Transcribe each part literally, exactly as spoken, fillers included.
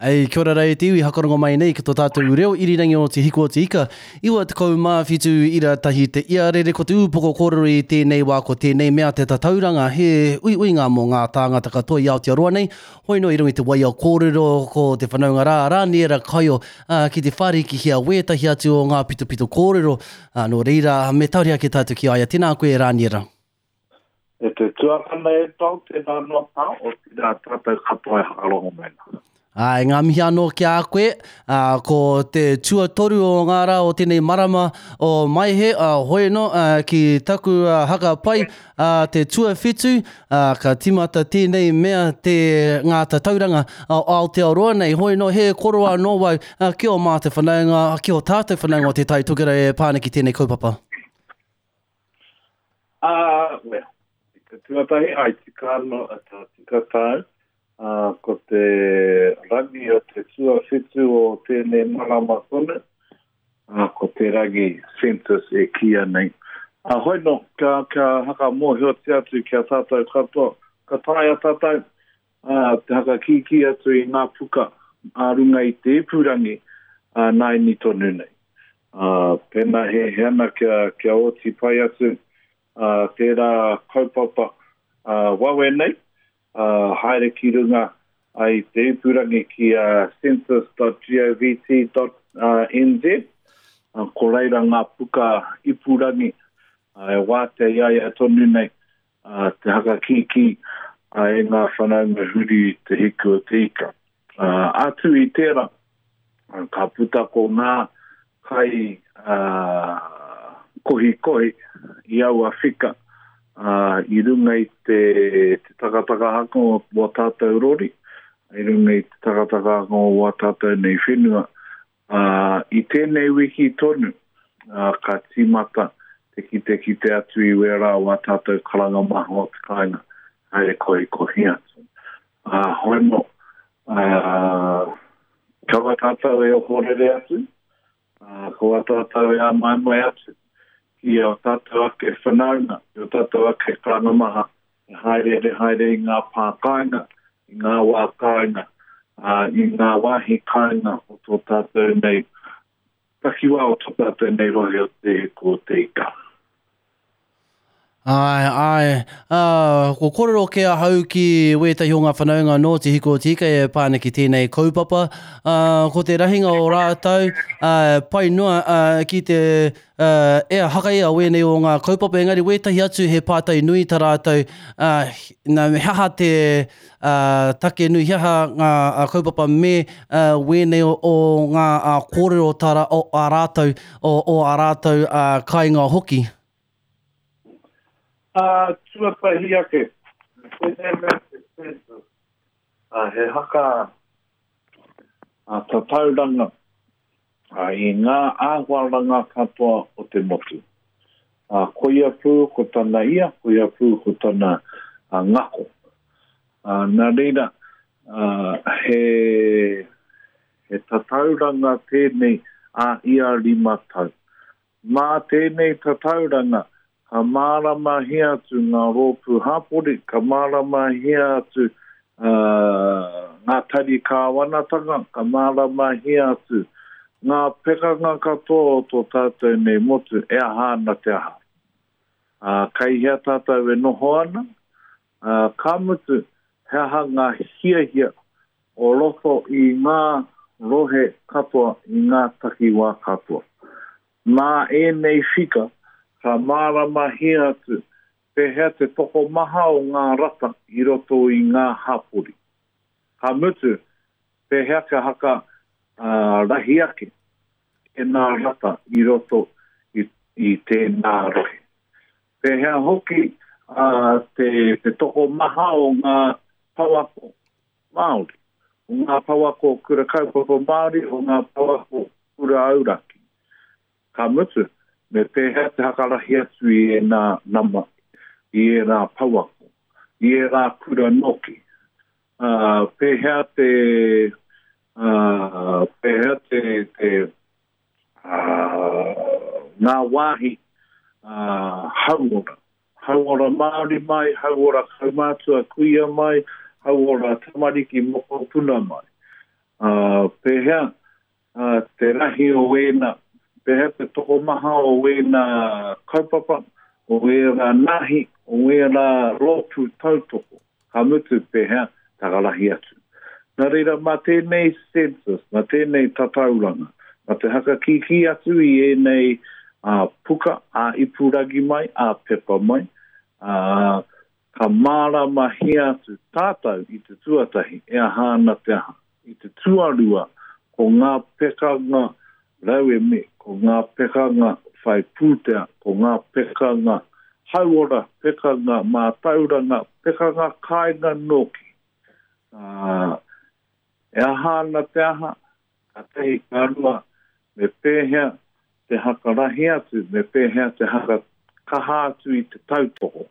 Ei, kia ora rā e te iwi, hakarongo mai nei ki tō tātou reo irirangi o Te Hiku o Te Ika. Iwa tekau mā whitu ira tahi te iarere, ko te ūpoko kōrero i tēnei wā, ko tēnei mea te tatauranga, he uiuinga mō ngā tāngata katoa i Aotearoa nei. Hoi noa i runga i te waia kōrero ko te whanaunga rā, Rāniera Kaio, ā, ki te whārikihia wētahi atu o ngā pitopito kōrero. Ā, nō reira, me tauri ake tātou ki a ia. Tēnā koe, Rāniera. E te tuakana e tau, tēnā noa tā, otirā tātou katoa e hakarongo mai nā. Āe, ngā mihi anō ki a koe, ā, ko te tuatoru o ngā rā o tēnei marama o Maehe, ā, hoi anō, ā, ki taku haka pai, ā, te tuawhitu, ā, ka tīmata tēnei mea te ngā tatauranga o Aotearoa nei. Hoi anō, he koro anō wau, ā, ki ō mātou whanaunga, ki ō tātou whanaunga o Te Tai Tokerau e pā ana ki tēnei kaupapa. Ā, well, i te tuatahi, ai tika anō, tā tika tāu, ā, ko te rangi o te tuawhitu o tēnei marama tonu, ā, ko te rangi census e kīia nei. Ā, hoi nō, kia, kia hakamōhiotia atu ki a tātou katoa, ka taea tātou, ā, te hakakīkī atu i ngā puka ā runga i te ipurangi, ā, nāini tonu nei. Ā, pēnā he, he ana kia, kia oti pai atu, ā, tērā kaupapa, ā, wawe nei, ā, haere ki runga ai te ipurangi ki a census dot govt dot n z, ā, ko reira ngā puka ipurangi, ā, e wātea i a ia tonu nei, ā, te hakakīkī, ā, e ngā whanaunga huri i te hiku o te ika. Ā, atu i tērā, ā, ka puta ko ngā kai, ā, kohikohi i aua whika, ā, i runga i te, te takatakahanga o wā tātou rori, i runga i te takatakahanga o wā tātou nei whenua. Ā, i tēnei wiki tonu, ā, ka tīmata te kitekite atu i wērā o wā tātou karanga maha o te kāinga, haere kohikohi atu. Ā, hoi nō, ā, kaua tātou e ohorere atu, ā, kaua tātou e āmaimai atu ki o tātou ake whanaunga, ki o tātou ake karanga maha, e haereere haere i ngā pā kāinga, i ngā wā kāinga, ā, i ngā wāhi kāinga o tō tātou nei takiwā, o tō tātou nei rohe o Te Hiku o Te Ika. Āe, āe. Ā, ko kōrero kē ahau ki wētahi o ngā whanaunga nō Te Hiku o Te Ika e pā ana ki tēnei kaupapa. Ā, ko te rahinga o rātou, ā, pai noa, ā, ki te, ā, e hakaia wēnei o ngā kaupapa, engari wētahi atu he pātai nui tā rātou, ā, nā, he aha te, ā, take nui, he aha ngā kaupapa me, ā, wēnei o, o ngā ā, kōrero tā rā, o ā rātou, o, o ā rātou, ā, kāinga hoki. Ā, tuatahi ake, tēnei mea te census, ā, he haka, ā, tatauranga, ā, i ngā āhuaranga katoa o te motu. Ā, koia pū ko tana ia, koia pū ko tana, ā, ngako. Ā, nā reira, ā, he, he tatauranga tēnei ā ia rima tau. Mā tēnei tatauranga, ka māramahia atu ngā rōpū hapori, ka māramahia atu, ā, ngā tari kāwanatanga, ka māramahia atu ngā pekanga katoa o tō tātou nei motu e aha ana te aha. Ā, kei hea tātou e noho ana, ā, ka mutu, he aha ngā hiahia o roto i ngā rohe katoa, i ngā takiwā katoa. Mā ēnei whika, ka māramahia atu pēhea te tokomaha o ngā rata i roto i ngā hapori. Ka mutu, pēhea ka haka, ā, rahi ake tēnā rata i roto i, i tēnā rohe. Pēhea hoki, ā, te, te tokomaha o ngā pouako Māori, o ngā pouako kura kaupapa Māori, o ngā pouako kura auraki. Ka mutu, me pēhea te hakarahi atu i ēnā nama, i ērā pouako, i ērā kura noki. Ā, pēhea te, ā, pēhea te, te, ā, ngā wāhi, ā, hauora. Hauora Māori mai, hauora kaumātua kuia mai, hauora tamariki mokopuna mai. Ā, Uh, pēhea uh, te rahi o wēna, pēhea te tokomaha o wēna kaupapa, o wēra nahi, o wēra rōpū tautoko, ka mutu pēhea takarahi atu. Nā reira, mā tēnei census, mā tēnei tatauranga, mā te hakakiki atu i ēnei uh, puka, a ipurangi mai, a pepa mai, uh, ka māramahia atu tātou i te tuatahi, e aha ana te aha. I te tuarua, ko ngā pekanga rauemi, ko ngā pekanga whai pūtea, ko ngā pekanga hauora, pekanga mātauranga, pekanga kāinga nōki. Uh, e aha ana te aha, ka tehi ka rua, me pēhea te hakarahi atu, me pēhea te hakakaha atu i te tautoko,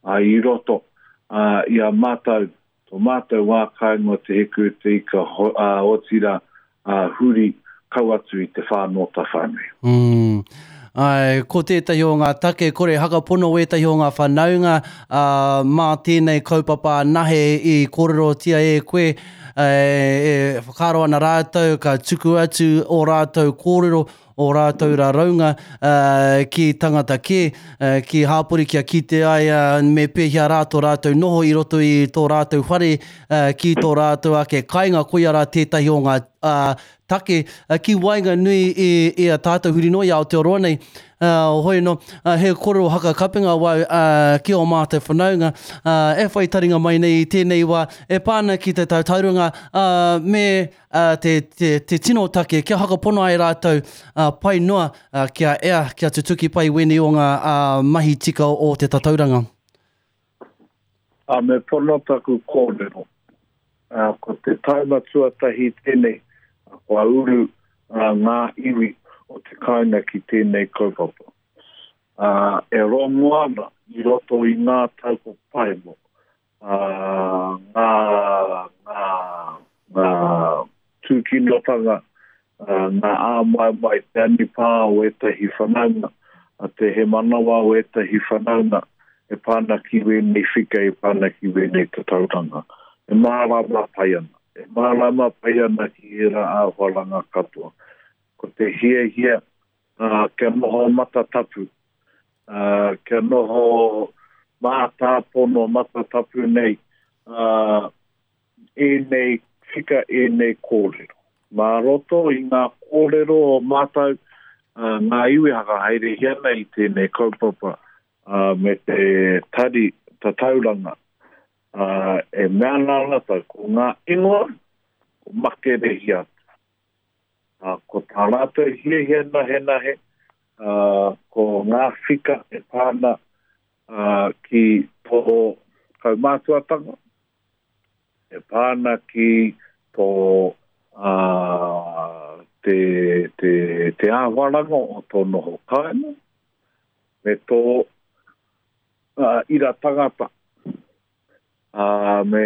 uh, i roto uh, i a mātou, tō mātou wā kāinga te hiku te ika uh, otira uh, huri kau atu i te whānōta whānui. Mm. Ai, ko tētahi o ngā take, kore hakapono wētahi o ngā whanaunga uh, mā tēnei kaupapa nahe i kōrerotia e koe, e, e whakaaro ana rātou, ka tuku atu o rātou kōrero, o rātou raraunga uh, ki tangata kē, uh, ki hāpori kia kite ai uh, me pēhea rā tō rātou noho i roto i tō rātou whare, uh, ki tō rātou ake kāinga, koia rā tētahi o ngā uh, take uh, ki waenganui i, i a tātou huri noa i Aotearoa nei. Uh, hoi no, uh, he kōrero hakakapenga wau uh, ki o mātou whanaunga uh, e whai taringa mai nei i tēnei wā e pāna ki te tautauranga uh, me uh, te, te, te tino take kia hakapono ai rātou uh, pai noa uh, kia ea, kia tutuki pai wēnei o ngā uh, mahi tika o te tatauranga. Uh, me pono taku kōrero. Uh, ko te taima tuatahi tēnei, uh, kua uru uh, ngā iwi o te kāinga ki tēnei kaupapa. Uh, e rongo ana i roto i ngā tau ko paemo, uh, ngā, ngā, ngā tūkinotanga, uh, ngā āmaimai te anipā o ētahi whanaunga, a te hemanawa o ētahi whanaunga, e pāna ki wēnei whika, e pāna ki wēnei tatauranga. E mārama pai ana, e mārama pai ana ki era āhuaranga katoa. Ko te hiahia uh, kia noho matatapu, uh, kia noho mātāpono matatapu nei, uh, ēnei whika, ēnei kōrero. Mā roto i ngā kōrero o mātou, uh, ngā iwi hakahaerehia ana i tēnei kaupapa uh, me te tari tatauranga. Uh, e mea ana rātou, ko ngā ingoa, ko makerehia atu. Uh, ko tā rātou hiahia nahe nahe, uh, ko ngā whika e pāna uh, ki tō kaumātuatanga, e pāna ki tō uh, te, te, te āhuaranga o tō noho kāinga, me tō uh, ira tangata, uh, me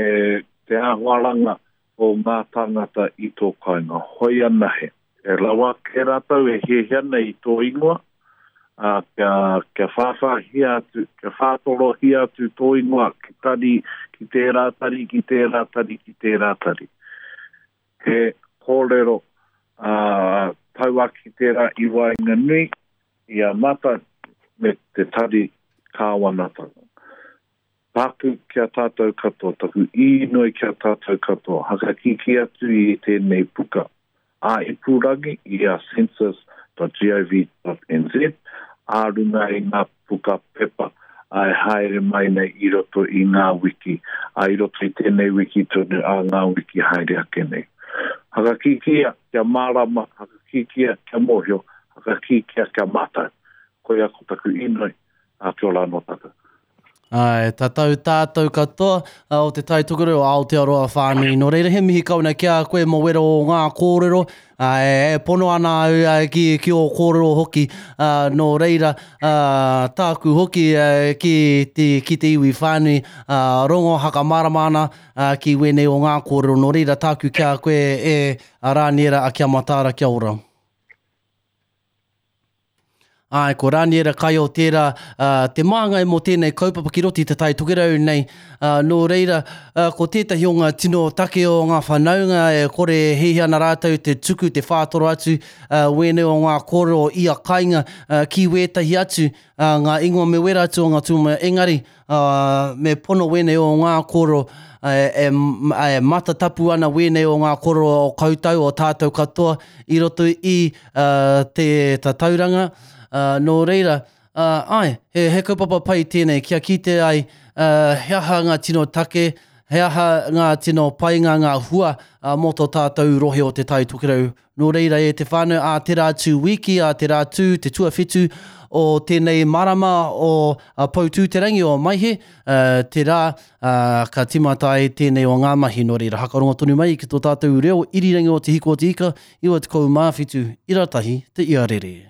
te āhuaranga o ngā tāngata i tō kāinga. Hoi anahe, e rawa ke rātou e hiahia ana i tō ingoa, uh, kia, kia whāwhāhia atu, kia whātorohia atu tō ingoa ki tari, ki tērā tari, ki tērā tari, ki tērā tari. He kōrero uh, tauaki tērā i waenganui i a mātou me te tari kāwanatanga. Tāku kia tātou katoa, taku īnoi kia tātou katoa, hakakiki atu i tēnei puka a ipurangi i a census dot gov dot n z, a runga i ngā puka pepa a e haere mai nei i roto i ngā wiki, a i roto i tēnei wiki tonu a ngā wiki haere ake nei. Hakakikia kia mārama, hakakikia kia mōhio, hakakikia kia mātau. Koia ko taku īnoi, a kia ora anō tātou. Ai, tatau tātou katoa uh, o te Tai Tokerau o Aotearoa whānui. Nō reira, he mihi kauna ki a koe mō wera o ngā kōrero. Uh, e pono ana au uh, ki, ki o kōrero hoki. Uh, nō reira, uh, tāku hoki uh, ki, te, ki te iwi whānui. Uh, rongo hakamārama ana uh, ki wēnei o ngā kōrero. Nō reira, tāku ki a koe e a Rāniera, a kia mataara, kia ora. Āe, ko Raniera Kaio tērā uh, te māngai mō tēnei kaupapa ki roto i te Tai Tokerau nei. Uh, nō reira, uh, ko tētahi o ngā tino take o ngā whanaunga e kore e hiahia ana rātou te tuku, te whātoro atu uh, wēnei o ngā kōrero ia kainga uh, ki wētahi atu uh, ngā ingoa me wera atu o ngā tūmomo engari uh, me pono wēnei o ngā kōrero e, e, e matatapu ana wēnei o ngā kōrero o koutou, o tātou katoa i roto i uh, te tatauranga. Uh, nō reira, uh, ai, he, he kaupapa pai tēnei, kia kite ai uh, he aha ngā tino take, he aha ngā tino painga, ngā hua uh, mō tō tātou rohe o te Tai Tokerau. Nō reira e te whānau, ā te rā tū wiki, ā te rā tū, te tuawhitu o tēnei marama o uh, Poutūterangi o Maihe, uh, te rā uh, ka timata ai tēnei o ngā mahi. Nō reira, hakarongo tonu mai ki tō tātou reo irirangi o Te Hiko o Te Ika, iwa tekau mā whitu, ira tahi, te iarere.